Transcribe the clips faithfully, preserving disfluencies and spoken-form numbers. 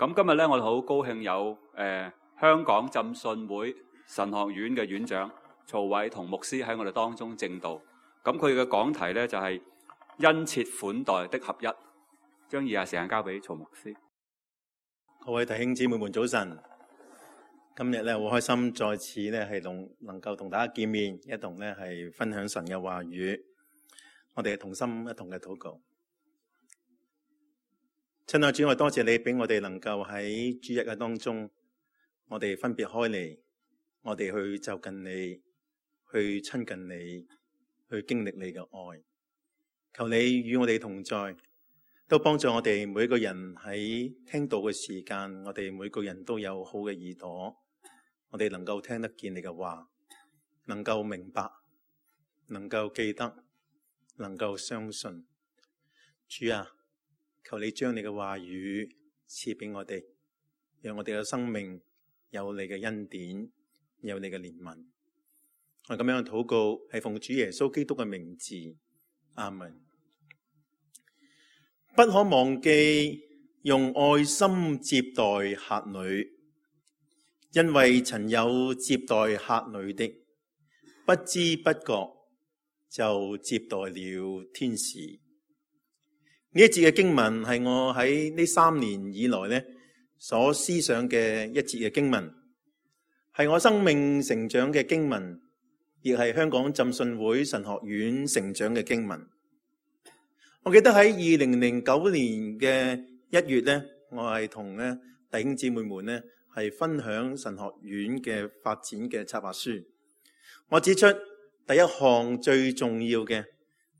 咁今日咧，我哋好高興有誒、呃、香港浸信會神學院嘅院長曹偉同牧師喺我哋當中證道。咁佢嘅講題咧就係、是、殷切款待的合一。將以下時間交俾曹牧師。各位弟兄姊妹們早晨，今日咧好開心再次咧係同能夠同大家見面，一同咧係分享神嘅話語。我哋同心一同嘅禱告。親愛主，我多謝你俾我哋能夠喺主日嘅當中，我哋分別開嚟，我哋去就近你，去親近你，去經歷你嘅愛。求你與我哋同在，都幫助我哋每個人喺聽道嘅時間，我哋每個人都有好嘅耳朵，我哋能夠聽得見你嘅話，能夠明白，能夠記得，能夠相信。主啊，求你將你嘅話語賜俾我哋，讓我哋嘅生命有你嘅恩典，有你嘅憐憫。我咁樣嘅禱告係奉主耶穌基督嘅名字，阿門。不可忘記用愛心接待客旅，因為曾有接待客旅的，不知不覺就接待了天使。呢一節嘅經文係我喺呢三年以來咧所思想嘅一節嘅經文，係我生命成長嘅經文，亦係香港浸信會神學院成長嘅經文。我記得喺二零零九年嘅一月咧，我係同咧弟兄姊妹們咧係分享神學院嘅發展嘅策劃書。我指出第一項最重要嘅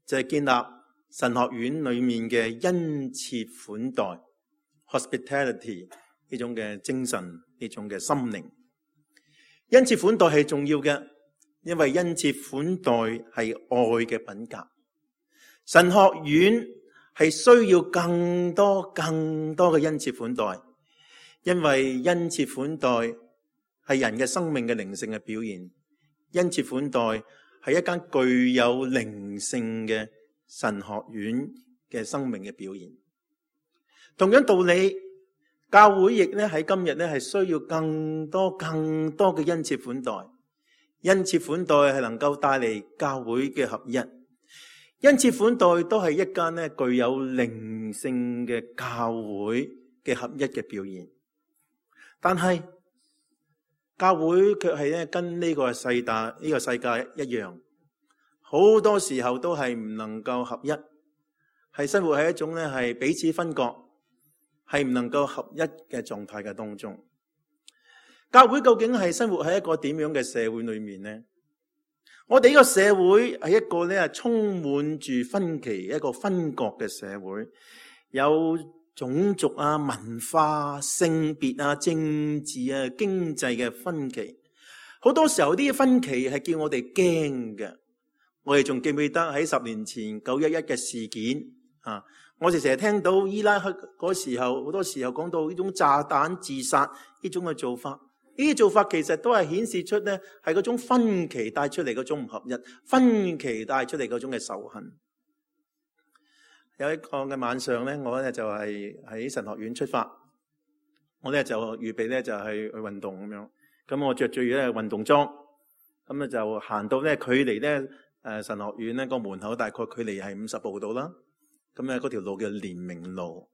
就係建立神學院裏面嘅殷切款待 hospitality 呢種嘅精神，呢種嘅心靈。殷切款待係重要嘅，因為殷切款待係愛嘅品格。神學院係需要更多更多嘅殷切款待，因為殷切款待係人嘅生命嘅靈性嘅表現。殷切款待係一間具有靈性嘅神學院嘅生命嘅表現。同樣道理，教會亦咧喺今日咧係需要更多更多嘅殷切款待。殷切款待係能夠帶嚟教會嘅合一。殷切款待都係一間咧具有靈性嘅教會嘅合一嘅表現。但係教會卻係咧跟呢個世界呢個世界一樣，好多時候都係唔能夠合一，係生活喺一種咧係彼此分割，係唔能夠合一嘅狀態嘅當中。教會究竟係生活喺一個點樣嘅社會裏面呢？我哋呢個社會係一個咧充滿住分歧、一個分割嘅社會，有種族啊、文化、性別啊、政治啊、經濟嘅分歧。好多時候啲分歧係叫我哋驚嘅。我哋仲記唔記得喺十年前九一一嘅事件啊？我哋成日聽到伊拉克嗰時候，好多時候講到呢種炸彈自殺呢種嘅做法。呢啲做法其實都係顯示出咧，係嗰種分歧帶出嚟嗰種唔合一，分歧帶出嚟嗰種嘅仇恨。有一個嘅晚上咧，我咧就係喺神學院出發，我咧就預備咧就係去運動咁樣。咁我着住咧運動裝，咁咧就行到咧距離咧誒神學院咧個門口大概距離係五十步度啦。咁咧嗰條路叫連明路。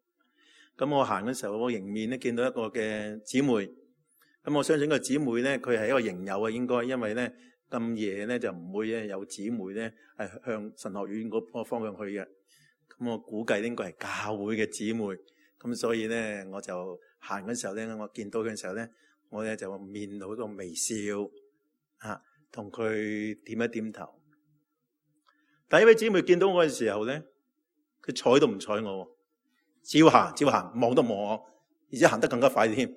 咁我行嘅時候，我迎面咧見到一個嘅姊妹。咁我相信個姊妹咧，佢係一個營友啊，應該，因為咧咁夜咧就唔會咧有姊妹咧係向神學院嗰個方向去嘅。咁我估計應該係教會嘅姊妹。咁所以咧，我就行嘅時候咧，我見到佢嘅時候咧，我咧就面露一個微笑，吓同佢點一點頭。第一位姊妹見到我嘅時候咧，佢睬都唔睬我，照行照行，望都望我，而且行得更加快添。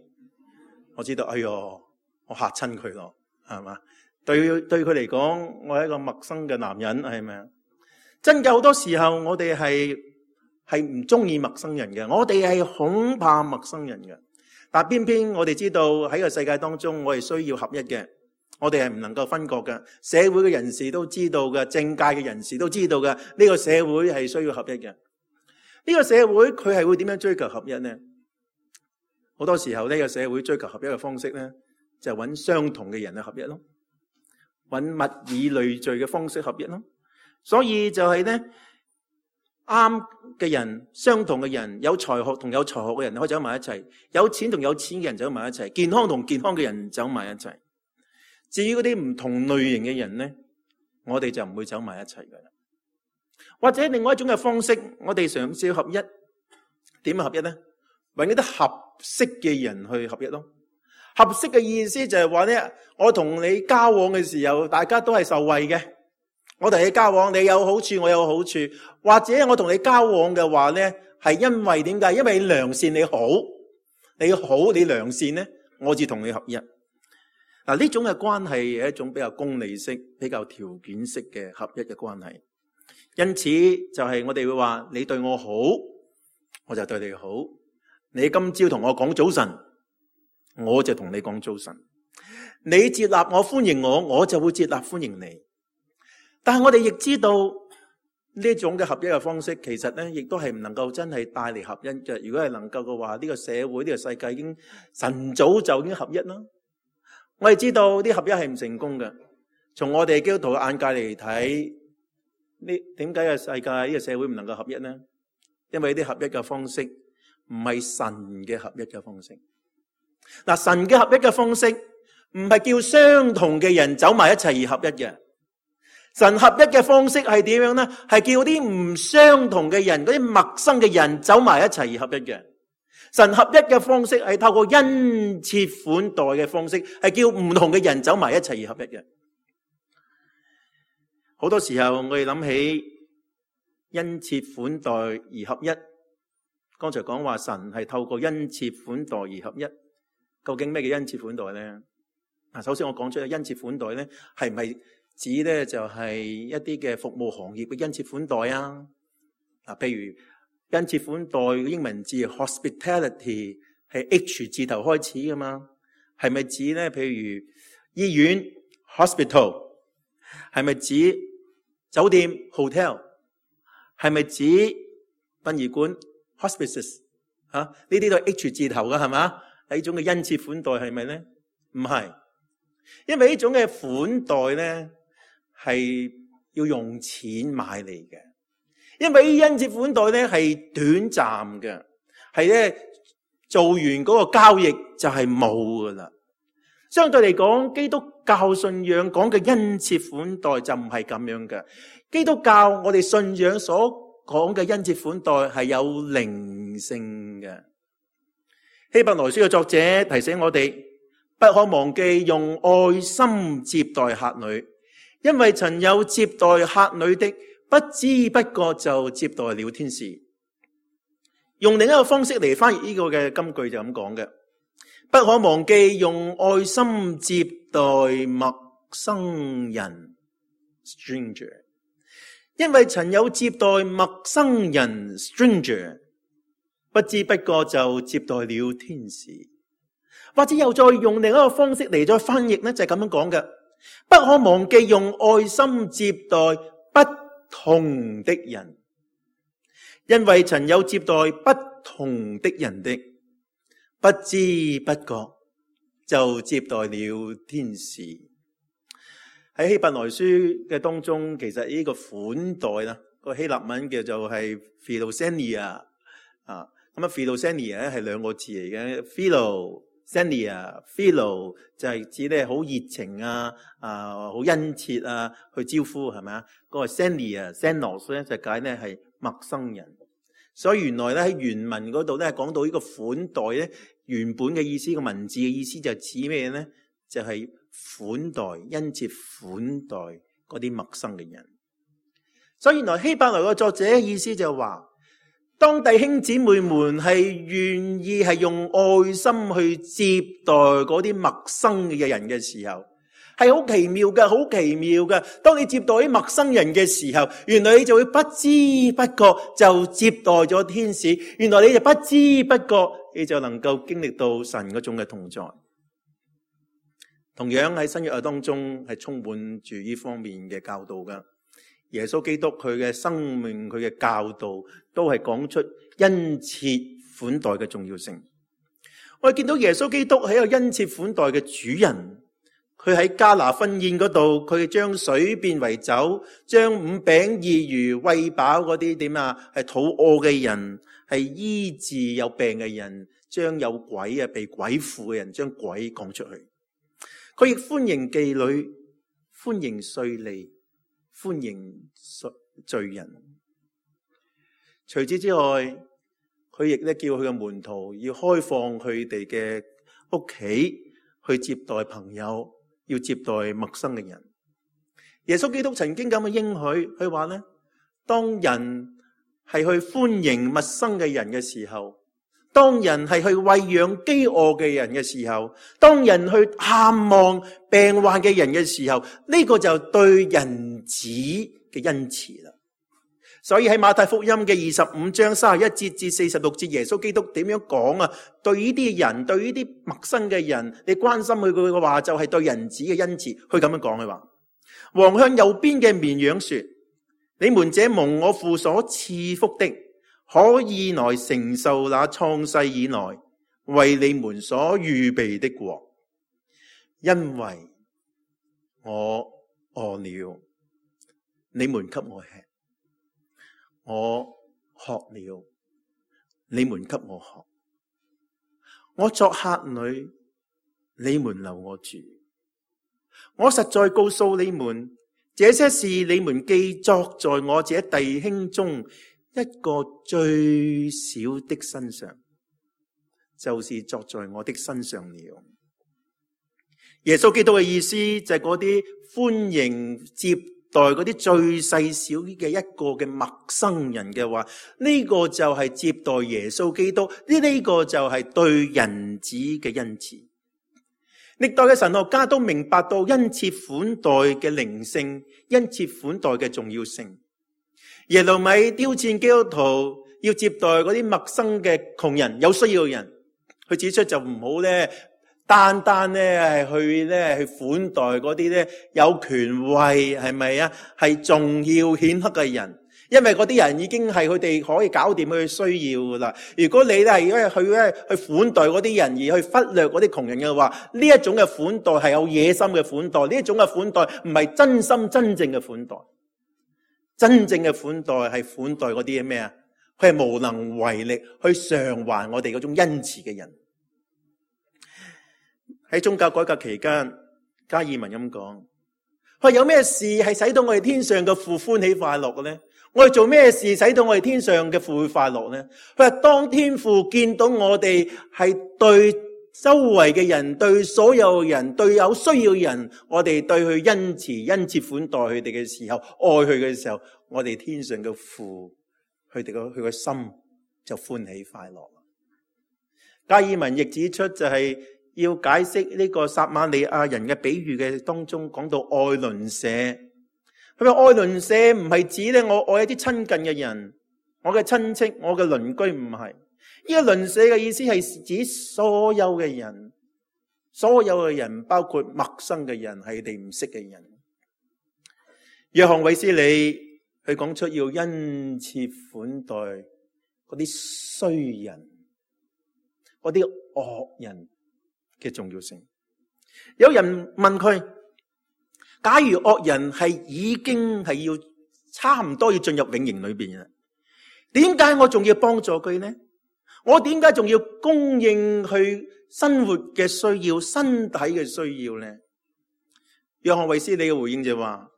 我知道，哎喲，我嚇親佢咯，係嘛？對對佢嚟講，我係一個陌生嘅男人，係咪啊？真嘅，好多時候我哋係係唔中意陌生人嘅，我哋係恐怕陌生人嘅。但偏偏我哋知道喺個世界當中，我哋需要合一嘅，我哋係唔能夠分割嘅。社會嘅人士都知道嘅，政界嘅人士都知道嘅，呢個社會係需要合一嘅。呢個社會佢係會點樣追求合一呢？好多時候呢個社會追求合一嘅方式咧，就揾相同嘅人去合一咯，揾物以類聚嘅方式合一咯。所以就係咧，啱嘅人、相同嘅人、有才學同有才學嘅人可以走埋一齊，有錢同有錢嘅人走埋一齊，健康同健康嘅人走埋一齊。至於嗰啲唔同類型嘅人咧，我哋就唔會走埋一齊噶啦。或者另外一種嘅方式，我哋嘗試合一，點合一咧？揾一啲合適嘅人去合一咯。合適嘅意思就係話咧，我同你交往嘅時候，大家都係受惠嘅。我同你交往，你有好處，我有好處。或者我同你交往嘅話咧，係因為點解？因為你良善，你好，你好，你良善咧，我至同你合一。嗱，呢種嘅關係係一種比較功利式、比較條件式嘅合一嘅關係。因此就係我哋會話，你對我好，我就對你好。你今朝同我講早晨，我就同你講早晨。你接納我、歡迎我，我就會接納歡迎你。但係我哋亦知道呢種嘅合一嘅方式，其實咧亦都係唔能夠真係帶嚟合一嘅。如果係能夠嘅話，呢個社會、呢個世界已經晨早就已經合一啦。我哋知道啲合一係唔成功嘅。從我哋基督徒嘅眼界嚟睇，呢點解嘅世界呢個社會唔能夠合一呢？因為呢啲合一嘅方式唔係神嘅合一嘅方式。嗱，神嘅合一嘅方式唔係叫相同嘅人走埋一齊而合一嘅。神合一嘅方式係點樣呢？係叫啲唔相同嘅人，嗰啲陌生嘅人走埋一齊而合一嘅。神合一嘅方式係透過恩賜款待嘅方式，係叫唔同嘅人走埋一齊而合一嘅。好多時候我哋諗起恩賜款待而合一，剛才講話神係透過恩賜款待而合一，究竟咩叫恩賜款待呢？首先我講出恩賜款待呢，係唔係指咧就係一啲嘅服務行業嘅恩賜款待啊？啊，譬如恩賜款待嘅英文字 hospitality 係 H 字頭開始噶嘛？係咪指咧？譬如醫院 hospital， 係咪指酒店 hotel， 係咪指殯儀館 hospices？ 吓，呢啲都係 H 字頭噶係嘛？呢種嘅恩賜款待係咪咧？唔係，因為呢種嘅款待咧，係要用錢買嚟嘅，因為呢恩賜款待咧係短暫嘅，係咧做完嗰個交易就係冇噶啦。相對嚟講，基督教信仰講嘅恩賜款待就唔係咁樣嘅。基督教我哋信仰所講嘅恩賜款待係有靈性嘅。希伯來書嘅作者提醒我哋，不可忘記用愛心接待客旅。因為曾有接待客旅的，不知不覺就接待了天使。用另一個方式嚟翻譯呢個嘅金句就咁講嘅，不可忘記用愛心接待陌生人 stranger。因為曾有接待陌生人 stranger， 不知不覺就接待了天使。或者又再用另一個方式嚟再翻譯呢，就係咁樣講嘅。不可忘記用愛心接待不同的人，因為曾有接待不同的人的，不知不覺就接待了天使。喺希伯來書嘅當中，其實呢個款待啦，個希臘文叫做係 philoxenia 啊，咁啊 philoxenia 咧係兩個字嚟嘅 philo。Xenia philo 就係指咧好熱情啊，啊好殷切啊，去招呼係咪啊？嗰個 Xenia xenos 咧就解咧係陌生人。所以原來咧喺原文嗰度咧講到呢個款待咧，原本嘅意思，個文字嘅意思就指咩咧？就係款待、殷切款待嗰啲陌生嘅人。所以原來希伯來個作者嘅意思就係話，當弟兄姊妹們係願意係用愛心去接待嗰啲陌生嘅人嘅時候，係好奇妙嘅，好奇妙嘅。當你接待啲陌生人嘅時候，原來你就會不知不覺就接待咗天使。原來你就不知不覺，你就能夠經歷到神嗰種嘅同在。同樣喺新約當中係充滿住呢方面嘅教導噶。耶穌基督佢嘅生命，佢嘅教導都係講出恩賜款待嘅重要性。我哋見到耶穌基督係一個恩賜款待嘅主人。佢喺迦拿婚宴嗰度，佢將水變為酒，將五餅二魚餵飽嗰啲點啊，係肚餓嘅人，係醫治有病嘅人，將有鬼啊被鬼附嘅人將鬼趕出去。佢亦歡迎妓女，歡迎稅吏，歡迎罪人。除此之外，佢亦咧叫佢嘅門徒要開放佢哋嘅屋企去接待朋友，要接待陌生嘅人。耶穌基督曾經咁嘅應許，佢話咧，當人係去歡迎陌生嘅人嘅時候，當人係去餵養飢餓嘅人嘅時候，當人去探望病患嘅人嘅時候，呢個就對人子嘅恩慈啦。所以喺馬太福音嘅二十五章三十一節至四十六節，耶穌基督點樣講啊？對呢啲人，對呢啲陌生嘅人，你關心佢佢嘅話，就係對人子嘅恩慈。佢咁樣講，佢話：王向右邊嘅綿羊說，你們這蒙我父所賜福的，可以來承受那創世以來為你們所預備的國，因為我餓了，你們給我吃。我渴了，你們給我喝；我作客旅，你們留我住。我實在告訴你們，這些事你們既作在我這弟兄中一個最小的身上，就是作在我的身上了。耶穌基督嘅意思就係嗰啲歡迎接待嗰啲最細小嘅一個嘅陌生人嘅話，呢個就係接待耶穌基督，呢呢個就係對人子嘅恩賜。歷代嘅神學家都明白到恩賜款待嘅靈性，恩賜款待嘅重要性。耶路米挑戰基督徒要接待嗰啲陌生嘅窮人、有需要嘅人，佢指出就唔好咧，單單咧係去咧去款待嗰啲咧有權位，係咪啊？係重要顯赫嘅人，因為嗰啲人已經係佢哋可以搞掂佢嘅需要噶啦。如果你咧係去咧去款待嗰啲人，而去忽略嗰啲窮人嘅話，呢一種嘅款待係有野心嘅款待，呢一種嘅款待唔係真心真正嘅款待。真正嘅款待係款待嗰啲咩啊？佢係無能為力去償還我哋嗰種恩慈嘅人。喺宗教改革期間，加爾文咁講：佢有咩事係使到我哋天上嘅父歡喜快樂嘅呢？我哋做咩事使到我哋天上嘅父會快樂呢？佢話當天父見到我哋係對周圍嘅人，對所有人，對有需要嘅人，我哋對佢恩慈、恩慈款待佢哋嘅時候，愛佢嘅時候，我哋天上嘅父，佢哋個佢個心就歡喜快樂。加爾文亦指出就係、是。要解釋呢個撒瑪利亞人嘅比喻嘅當中，講到愛鄰舍。佢話愛鄰舍唔係指咧我愛一啲親近嘅人，我嘅親戚，我嘅鄰居，唔係。呢個鄰舍嘅意思係指所有嘅人，所有嘅人包括陌生嘅人，係你唔識嘅人。約翰衛斯理佢講出要恩賜款待嗰啲衰人，嗰啲惡人嘅重要性。有人問佢：假如惡人係已經係要差唔多要進入永刑裏邊嘅，點解我仲要幫助佢呢？我點解仲要供應佢生活嘅需要、身體嘅需要呢？約翰衛斯理嘅回應就話：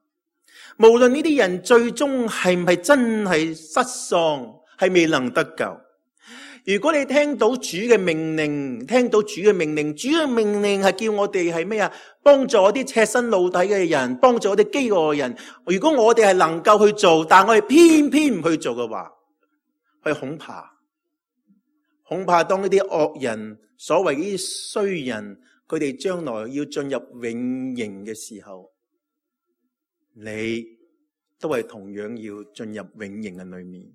無論呢啲人最終係唔係真係失喪，係未能得救。如果你聽到主嘅命令，聽到主嘅命令，主嘅命令係叫我哋係咩啊？幫助啲赤身露體嘅人，幫助啲飢餓嘅人。如果我哋係能夠去做，但我哋偏偏唔去做嘅話，佢恐怕，恐怕當呢啲惡人，所謂呢啲衰人，佢哋將來要進入永刑嘅時候，你都係同樣要進入永刑嘅裏面。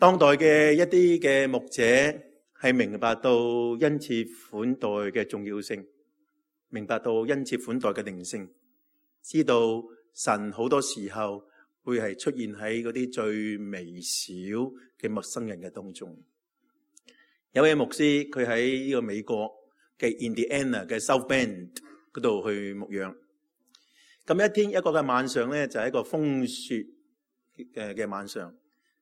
當代嘅一啲嘅牧者係明白到恩賜款待嘅重要性，明白到恩賜款待嘅靈性，知道神好多時候會係出現喺嗰啲最微小嘅陌生人嘅當中。有位牧師，佢喺呢個美國嘅 Indiana 嘅 South Bend 嗰度去牧養。咁一天一個嘅晚上咧，就係一個風雪嘅嘅晚上。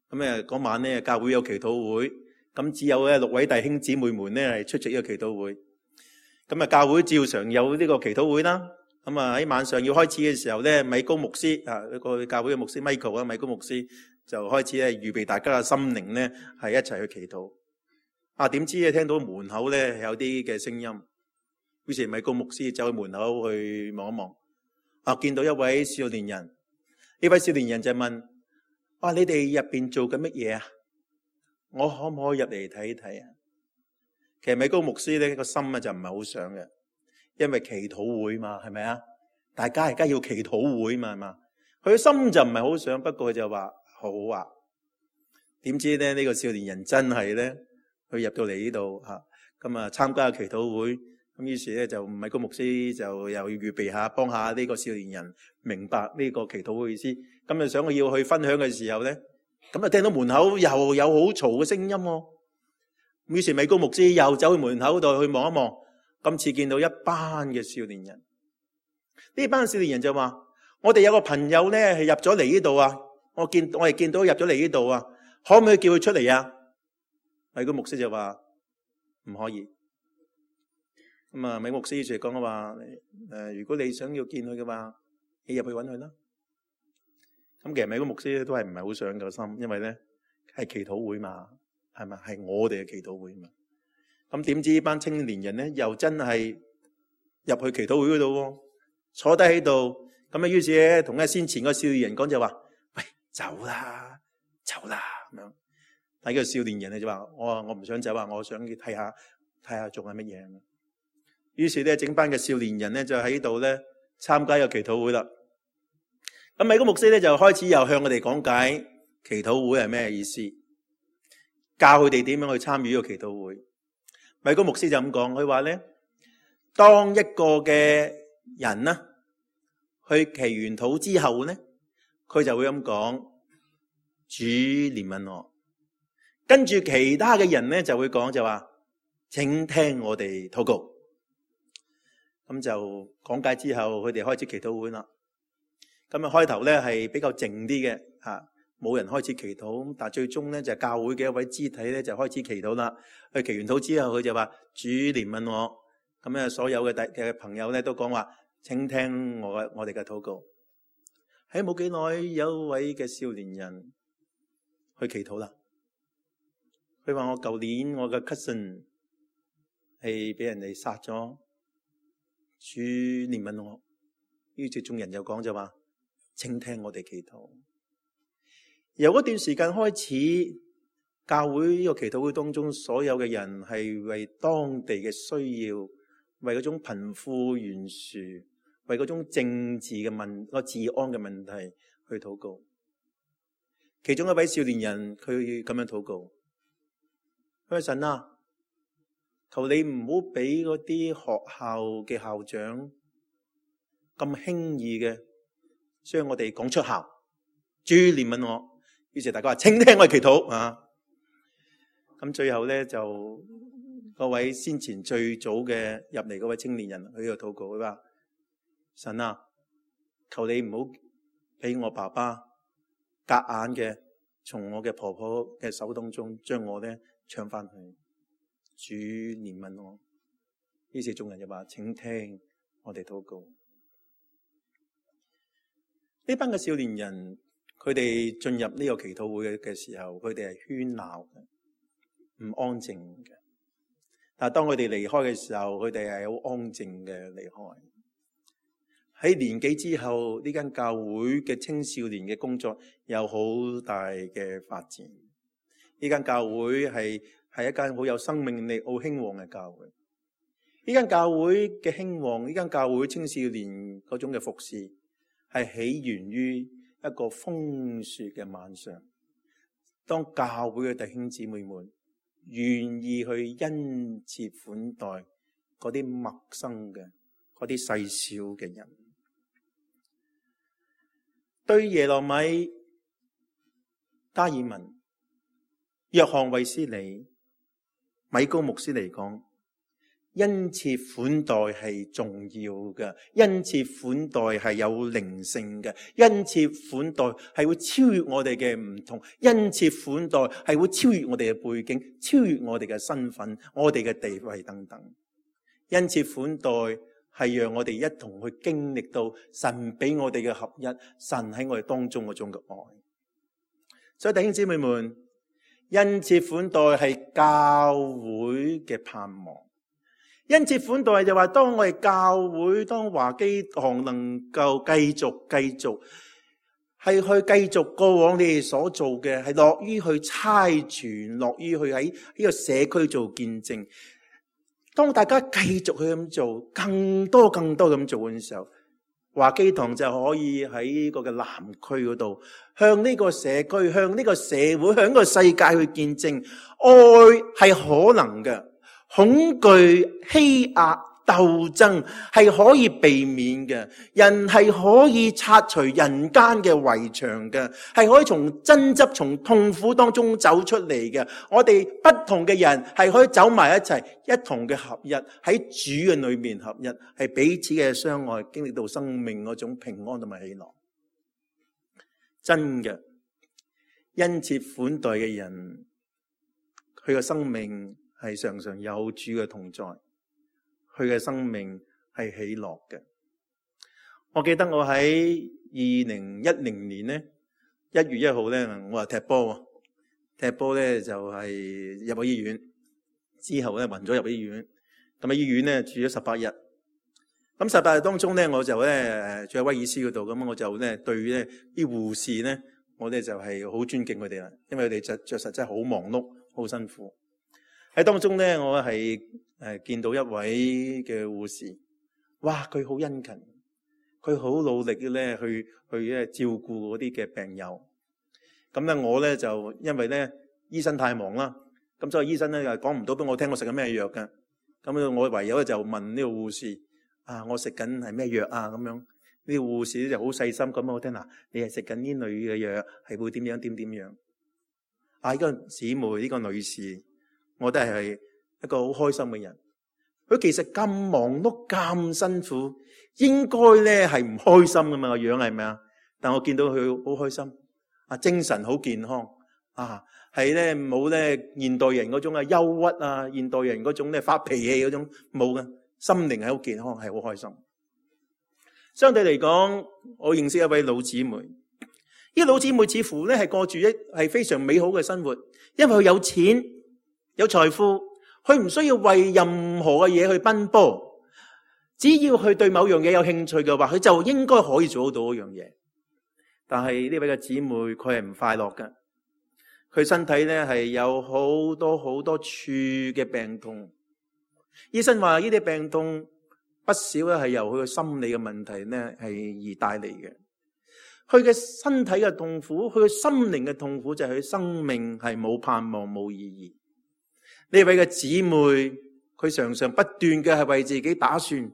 咁誒嗰晚咧，教會有祈禱會，咁只有咧六位弟兄姊妹們咧係出席呢個祈禱會。咁啊，教會照常有呢個祈禱會啦。咁啊喺晚上要開始嘅時候咧，米高牧師啊，一個教會嘅牧師 Michael 啊，米高牧師就開始咧預備大家嘅心靈咧係一齊去祈禱。啊，點知咧聽到門口咧有啲嘅聲音，於是米高牧師走去門口去望一望。啊！見到一位少年人，呢位少年人就問：哇、啊！你哋入邊做緊乜嘢啊？我可唔可以入嚟睇睇啊？其實米高牧師咧個心啊就唔係好想嘅，因為祈禱會嘛，係咪啊？大家而家要祈禱會嘛，係嘛？佢嘅心就唔係好想，不過佢就話好啊。點知咧呢、呢個少年人真係咧，佢入到嚟呢度吓，咁啊參加祈禱會。咁於是咧就米高牧師就又要預備下幫下呢個少年人明白呢個祈禱嘅意思。咁就想佢要去分享嘅時候咧，咁就聽到門口又有好嘈嘅聲音喎。於是米高牧師又走去門口度去望一望，今次見到一班嘅少年人。呢班少年人就話：我哋有個朋友咧係入咗嚟呢度啊，我見我哋見到入咗嚟呢度啊，可唔可以叫佢出嚟啊？米高牧師就話唔可以。咁啊，米牧師就講嘅話，誒，如果你想要見佢嘅話，你入去揾佢啦。咁其實米高牧師都係唔係好想個心，因為咧係祈禱會嘛，係咪？係我哋嘅祈禱會嘛。咁點知呢班青年人咧又真係入去祈禱會嗰度，坐低喺度。咁啊，於是咧同一先前個少年人講就話：喂，走啦，走啦咁樣。但係個少年人咧就話：我話我唔想走啊，我想睇下睇下做緊乜嘢。於是咧，整班嘅少年人咧就喺度咧參加個祈禱會啦。咁米高牧師咧就開始又向我哋講解祈禱會係咩意思，教佢哋點樣去參與呢個祈禱會。米高牧師就咁講，佢話咧，當一個嘅人呢去祈完禱之後咧，佢就會咁講：主憐憫我。跟住其他嘅人咧就會講就話：請聽我哋禱告。咁就講解之後，佢哋開始祈禱會啦。咁啊開頭咧係比較靜啲嘅嚇，冇人開始祈禱。但係最終咧就係教會嘅一位肢體咧就開始祈禱啦。佢祈完禱之後，佢就話：主憐憫我。咁咧所有嘅弟嘅朋友咧都講話：請聽我嘅我哋嘅禱告。喺冇幾耐，有一位嘅少年人去祈禱啦。佢話：我舊年我嘅 cousin 係俾人哋殺咗。主憐憫我，於是眾人又講就話：請聽我哋祈禱。由嗰段時間開始，教會呢個祈禱會當中，所有嘅人係為當地嘅需要，為嗰種貧富懸殊，為嗰種政治嘅問個治安嘅問題去禱告。其中一位少年人佢咁樣禱告：佢話神啊，求你唔好俾嗰啲學校嘅校長咁輕易嘅將我哋趕出校。主憐憫我。於是大家話：請聽我哋祈禱啊！咁最後咧就嗰位先前最早嘅入嚟嗰位青年人，佢喺度禱告，佢話：神啊，求你唔好俾我爸爸夾硬嘅從我嘅婆婆嘅手當中將我咧搶翻去。主憐憫我。於是眾人就話：請聽我哋禱告。呢班嘅少年人，佢哋進入呢個祈禱會嘅時候，佢哋係喧鬧嘅，唔安靜嘅。但係當佢哋離開嘅時候，佢哋係好安靜嘅離開。喺年紀之後，呢間教會嘅青少年嘅工作有好大嘅發展。呢間教會係係一間好有生命力、好興旺嘅教會。呢間教會嘅興旺，呢間教會青少年嗰種嘅服侍，係起源於一個風雪嘅晚上。當教會嘅弟兄姊妹們願意去殷切款待嗰啲陌生嘅、嗰啲細小嘅人，對耶羅米、加爾文、約翰衛斯理米高牧師嚟講，恩賜款待係重要嘅，恩賜款待係有靈性嘅，恩賜款待係會超越我哋嘅唔同，恩賜款待係會超越我哋嘅背景，超越我哋嘅身份，我哋嘅地位等等。恩賜款待係讓我哋一同去經歷到神俾我哋嘅合一，神喺我哋當中嗰種嘅愛。所以弟兄姊妹們，恩賜款待係教會嘅盼望。恩賜款待就話，當我哋教會，當華基堂能夠繼續繼續係去繼續過往你哋所做嘅，係樂於去差傳，樂於去喺呢個社區做見證。當大家繼續去咁做，更多更多咁做嘅時候，華基堂就可以喺呢個嘅南區嗰度，向呢個社區，向呢個社會，向呢個世界去見證，愛係可能嘅。恐懼、欺壓、鬥爭係可以避免嘅，人係可以拆除人間嘅圍牆嘅，係可以從爭執、從痛苦當中走出嚟嘅。我哋不同嘅人係可以走埋一齊，一同嘅合一，喺主嘅裏面合一，係彼此嘅相愛，經歷到生命嗰種平安同埋喜樂。真嘅，恩賜款待嘅人，佢嘅生命係常常有主嘅同在，佢嘅生命係喜樂嘅。我記得我喺二零一零年咧一月一號咧，我話踢波，踢波咧就係入咗醫院，之後咧暈咗入醫院，咁喺醫院咧住咗十八日。咁十八日當中咧，我就咧住喺威爾斯嗰度，咁我就咧對咧啲護士咧，我咧就係好尊敬佢哋啦，因為佢哋着着實真係好忙碌，好辛苦。喺當中咧，我係誒見到一位嘅護士，哇！佢好殷勤，佢好努力嘅咧去去咧照顧嗰啲嘅病友。咁咧我咧就因為咧醫生太忙啦，咁所以醫生咧又講唔到俾我聽我食緊咩藥嘅。咁我唯有咧就問呢個護士啊，我食緊係咩藥啊？咁樣呢個護士咧就好細心咁我聽嗱，你係食緊呢類嘅藥，係會點樣點點樣？啊！呢個姊妹呢個女士。我都係一個好開心嘅人。佢其實咁忙碌咁辛苦，應該咧係唔開心噶嘛，個樣係咪啊？但我見到佢好開心，啊精神好健康，啊係咧冇咧現代人嗰種嘅憂鬱啊，現代人嗰種咧發脾氣嗰種冇嘅，心靈係好健康，係好開心。相對嚟講，我認識一位老姊妹，呢個老姊妹似乎咧係過住一係非常美好嘅生活，因為佢有錢。有財富，佢唔需要為任何嘅嘢去奔波，只要佢對某樣嘢有興趣嘅話，佢就應該可以做到嗰樣嘢。但係呢位嘅姊妹，佢係唔快樂嘅，佢身體咧係有好多好多處嘅病痛。醫生話呢啲病痛不少咧係由佢嘅心理嘅問題咧係而帶嚟嘅。佢嘅身體嘅痛苦，佢嘅心靈嘅痛苦就係佢生命係冇盼望冇意義。呢位嘅姊妹，佢常常不斷嘅係為自己打算，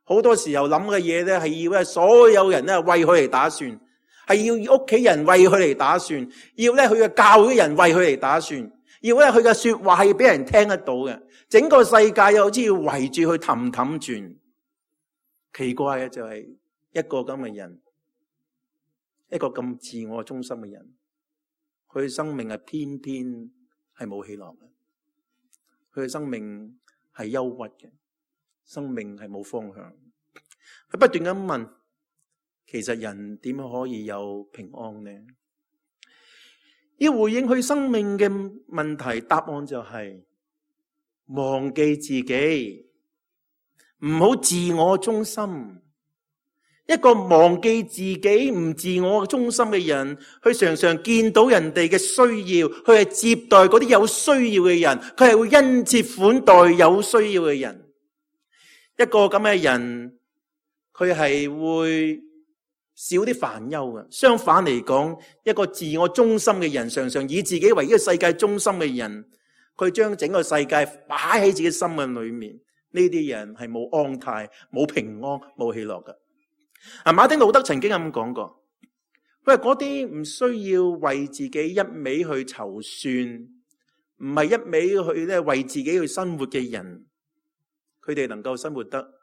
好多時候諗嘅嘢咧係要咧所有人咧為佢嚟打算，係要屋企人為佢嚟打算，要咧佢嘅教會人為佢嚟打算，要咧佢嘅說話係要俾人聽得到嘅，整個世界又好似要圍住佢氹氹轉。奇怪嘅就係一個咁嘅人，一個咁自我中心嘅人，佢嘅生命係偏偏係冇喜樂嘅。佢嘅生命係憂鬱嘅，生命係冇方向。佢不斷咁問，其實人點樣可以有平安呢？要回應佢生命嘅問題，答案就係忘記自己，唔好自我中心。一個忘記自己唔自我中心嘅人，佢常常見到人哋嘅需要，佢係接待嗰啲有需要嘅人，佢係會殷切款待有需要嘅人。一個咁嘅人，佢係會少啲煩憂嘅。相反嚟講，一個自我中心嘅人，常常以自己為呢個世界中心嘅人，佢將整個世界擺喺自己心嘅裏面。呢啲人係冇安泰、冇平安、冇喜樂嘅。啊，馬丁路德曾經咁講過，佢話嗰啲唔需要為自己一味去籌算，唔係一味去咧為自己去生活嘅人，佢哋能夠生活得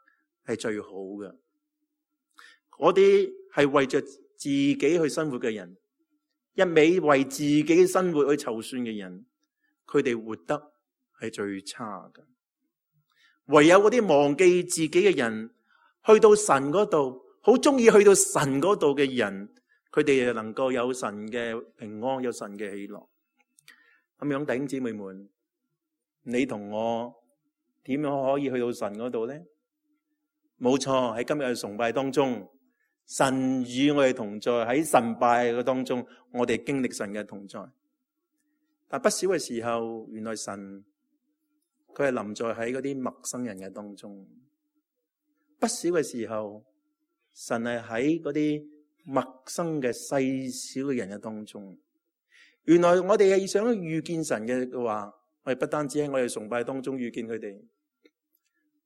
係最好嘅。嗰啲係為着自己去生活嘅人，一味為自己生活去籌算嘅人，佢哋活得係最差嘅。唯有嗰啲忘記自己嘅人，去到神嗰度，好中意去到神嗰度嘅人，佢哋能夠有神嘅平安，有神嘅喜樂。咁樣弟兄姊妹們，你同我點樣可以去到神嗰度呢？冇錯，喺今日嘅崇拜當中，神與我哋同在，喺神拜嘅當中，我哋經歷神嘅同在。但不少嘅時候，原來神佢係臨在喺嗰啲陌生人嘅當中。不少嘅時候，神係喺嗰啲陌生嘅細小嘅人嘅當中。原來我哋係想遇見神嘅話，我哋不單止喺我哋崇拜當中遇見佢哋，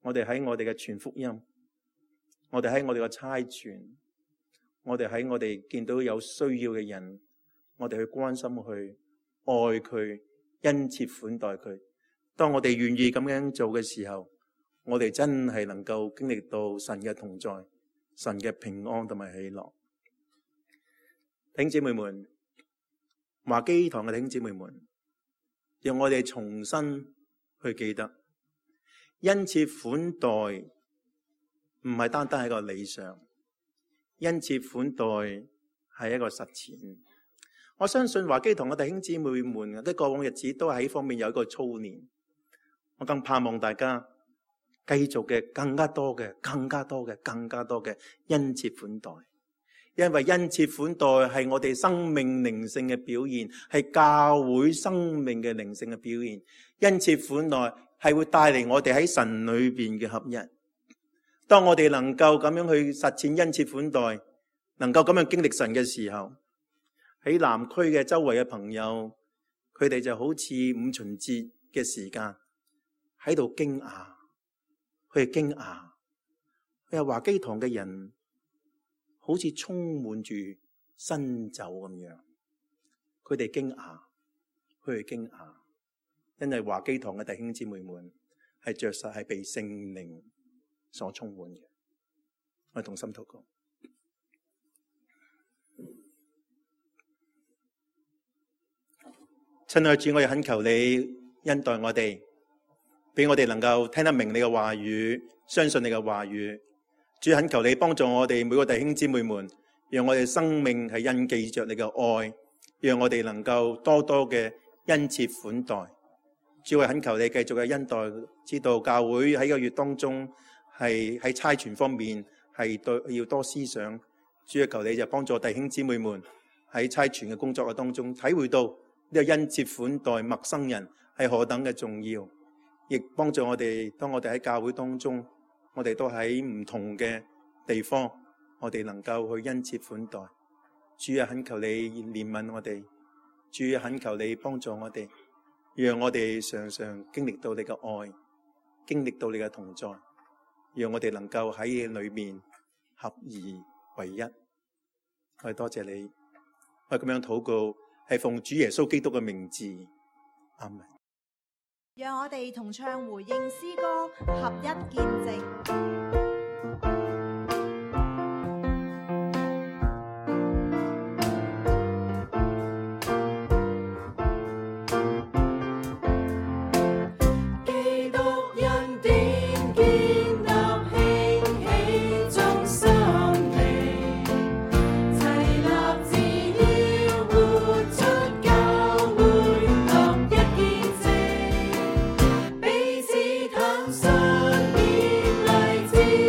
我哋喺我哋嘅傳福音，我哋喺我哋嘅差傳，我哋喺我哋見到有需要嘅人，我哋去關心佢，愛佢，殷切款待佢。當我哋願意咁樣做嘅時候，我哋真係能夠經歷到神嘅同在，神嘅平安同埋喜樂。弟兄姊妹們，華基堂嘅弟兄姊妹們，讓我哋重新去記得，殷切款待唔係單單係個理想，殷切款待係一個實踐。我相信華基堂嘅弟兄姊妹們喺過往日子都喺方面有一個操練。我更盼望大家繼續嘅更加多嘅、更加多嘅、更加多嘅殷切款待。因為殷切款待係我哋生命靈性嘅表現，係教會生命嘅靈性嘅表現。殷切款待係會帶嚟我哋喺神裏邊嘅合一。當我哋能夠咁樣去實踐殷切款待，能夠咁樣經歷神嘅時候，喺南區嘅周圍嘅朋友，佢哋就好似五旬節嘅時間喺度驚訝，佢哋驚訝，佢話華基堂嘅人好似充滿住新酒咁樣，佢哋驚訝，佢哋驚訝，因為華基堂嘅弟兄姊妹們係着實係被聖靈所充滿嘅。我哋同心禱告。親愛的主，我哋懇求你恩待我哋，俾我哋能夠聽得明你嘅話語，相信你嘅話語。主，懇求你幫助我哋每個弟兄姊妹們，讓我哋生命係印記着你嘅愛，讓我哋能夠多多嘅殷切款待。主，我懇求你繼續嘅恩待，知道教會喺個月當中係喺差傳方面係對要多思想。主，求你就幫助弟兄姊妹們喺差傳嘅工作嘅當中體會到呢個殷切款待陌生人係何等嘅重要，亦幫助我哋當我哋喺教會當中，我哋都喺唔同嘅地方，我哋能夠去殷切款待。主啊，懇求你憐憫我哋，主啊，懇求你幫助我哋，讓我哋常常經歷到你嘅愛，經歷到你嘅同在，讓我哋能夠喺裏面合而為一。我哋多謝你，我哋咁樣禱告，係奉主耶穌基督嘅名字，阿們。讓我哋同唱回應詩歌，合一見證。彼此坦率，勉勵。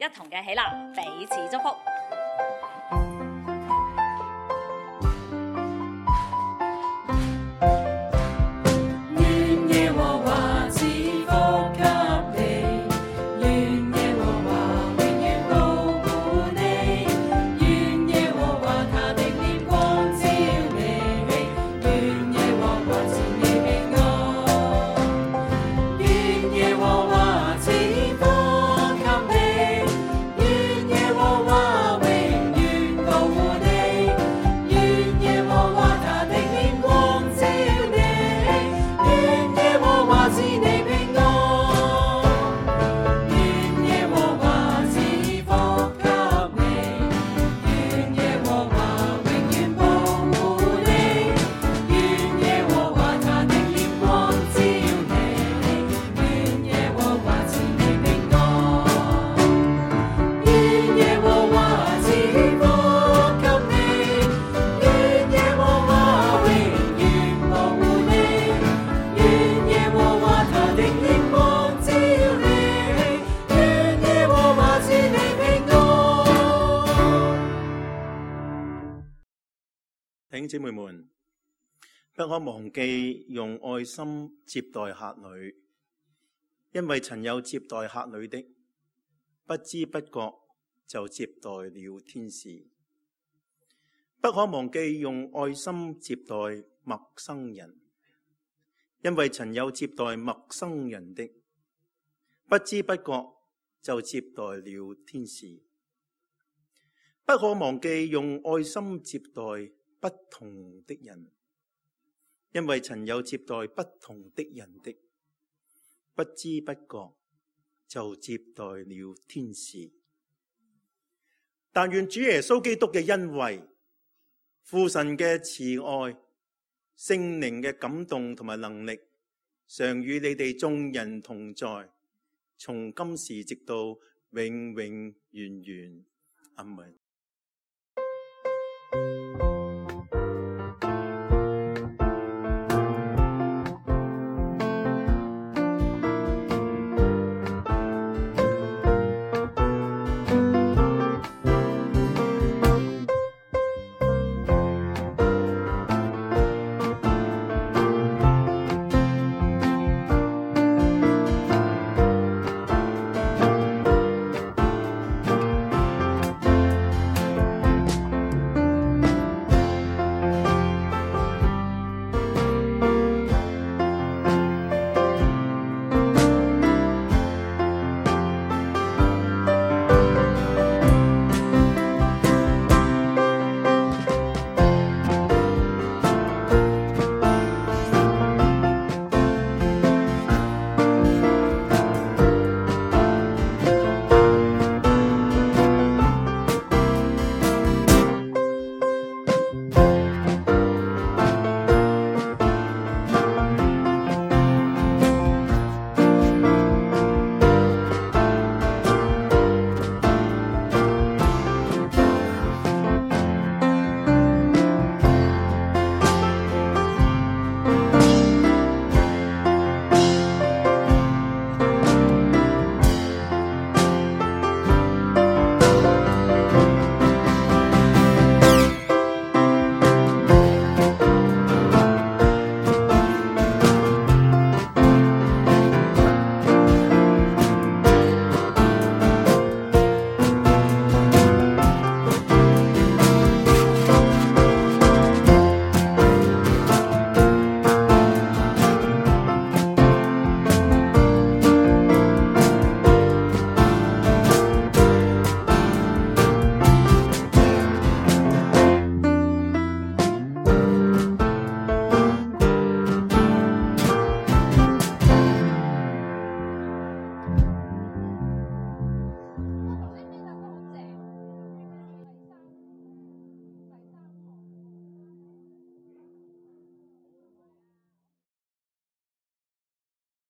一同嘅起立，彼此祝福。弟兄姊妹們，不可忘記用愛心接待客旅，因為曾有接待客旅的，不知不覺就接待了天使。不可忘記用愛心接待陌生人，因為曾有接待陌生人的，不知不覺就接待了天使。不可忘記用愛心接待不同的人，因為曾有接待不同的人的，不知不覺就接待了天使。但願主耶穌基督嘅恩惠、父神嘅慈愛、聖靈嘅感動同埋能力，常與你哋眾人同在，從今時直到永永遠遠。阿們。